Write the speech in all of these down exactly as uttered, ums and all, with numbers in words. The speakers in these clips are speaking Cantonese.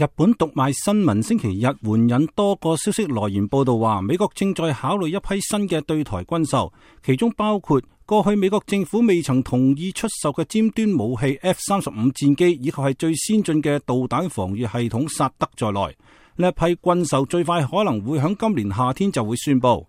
日本讀賣新聞星期日援引多個消息來源報道話，美國正在考慮一批新嘅對台軍售，其中包括過去美國政府未曾同意出售嘅尖端武器 F 三十五戰機，以及係最先進嘅導彈防禦系統薩德在內。呢一批軍售最快可能會喺今年夏天就會宣布。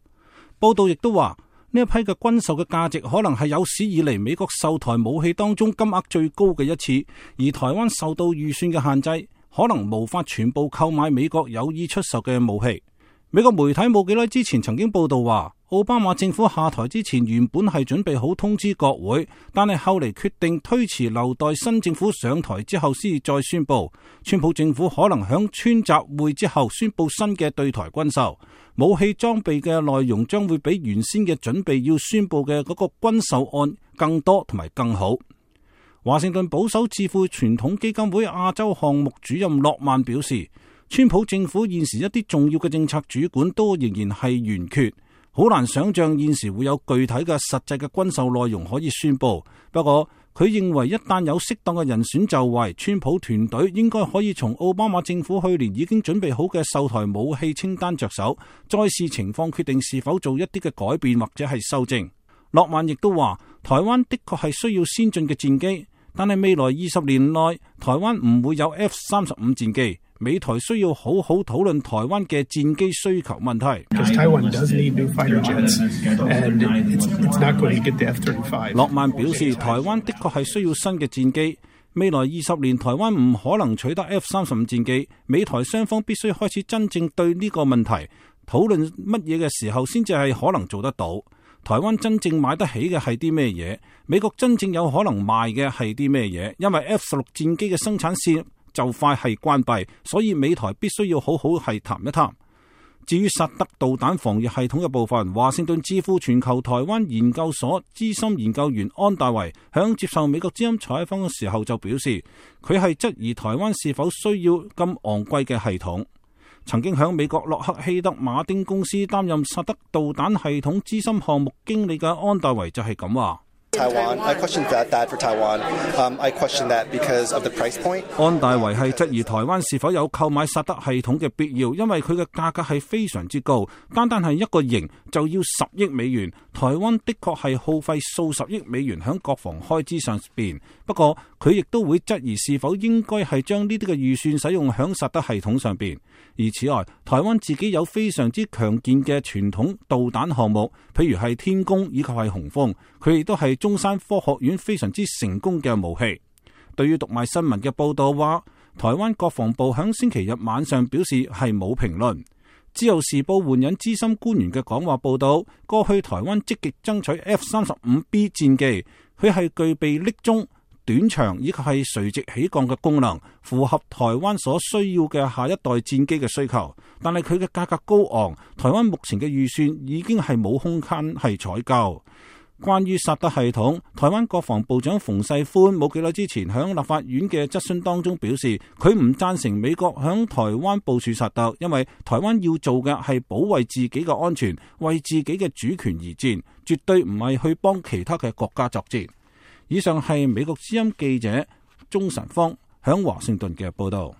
報道亦都話，呢一批嘅軍售嘅價值可能係有史以嚟美國售台武器當中金額最高嘅一次，而台灣受到預算嘅限制，可能無法全部購買美國有意出售嘅武器。美國媒體冇幾耐之前曾經報道話，奧巴馬政府下台之前原本係準備好通知國會，但係後嚟決定推遲，留待新政府上台之後先再宣布。川普政府可能響川習會之後宣布新嘅對台軍售，武器裝備嘅內容將會比原先嘅準備要宣布嘅嗰個軍售案更多同埋更好。華盛頓保守智庫傳統基金會亞洲項目主任諾曼表示，川普政府現時一啲重要嘅政策主管都仍然係懸缺，好難想象現時會有具體嘅實際嘅軍售內容可以宣布。不過佢認為一旦有適當嘅人選就位，川普團隊應該可以從奧巴馬政府去年已經準備好嘅售台武器清單着手，再視情況決定是否做一啲嘅改變或者係修正。諾曼亦都話，台灣的確係需要先進嘅戰機，但係未來二十年內台灣唔會有 F 三十五戰機，美台需要好好討論台灣嘅戰機需求問題。諾曼表示，台灣的確係需要新嘅戰機，未來二十年台灣唔可能取得 F 三十五戰機，美台雙方必須開始真正對呢個問題討論乜嘢嘅時候先至係可能做得到。台灣真正買得起嘅係啲咩嘢？美國真正有可能賣嘅係啲咩嘢？因為 F 十六戰機嘅生產線就快係關閉，所以美台必須要好好係談一談。至於薩德導彈防禦系統嘅部分，華盛頓智庫全球台灣研究所資深研究員安大維響接受美國之音採訪嘅時候就表示，佢係質疑台灣是否需要咁昂貴嘅系統。曾經喺美國洛克希德馬丁公司擔任薩德導彈系統資深項目經理嘅安大維就係咁話。Taiwan, I question that, that for Taiwan. Um, I question that because of the price point. 安大維係質疑台灣是否有購買薩德系統嘅必要，因為佢嘅價格係非常之高，單單係一個型就要十億美元。台灣的確係耗費數十億美元喺國防開支上邊，不過佢亦都會質疑是否應該係將呢啲嘅預算使用喺薩德系統上邊。而此外，台灣自己有非常之強健嘅傳統導彈項目，譬如係天弓以及係雄風，佢亦都係中山科學院非常之成功嘅武器。對於讀賣新聞嘅報道話，台灣國防部響星期日晚上表示係冇評論。自由時報援引資深官員嘅講話報道，過去台灣積極爭取 F 三十五 B 戰機，佢係具備匿蹤、短長以及係垂直起降嘅功能，符合台灣所需要嘅下一代戰機嘅需求。但係佢嘅價格高昂，台灣目前嘅預算已經係冇空間係採購。關於薩德系統，台灣國防部長馮世寬冇幾耐之前響立法院嘅質詢當中表示，佢唔贊成美國響台灣部署薩德，因為台灣要做嘅係保衛自己嘅安全，為自己嘅主權而戰，絕對唔係去幫其他嘅國家作戰。以上係美國之音記者鍾晨芳響華盛頓嘅報道。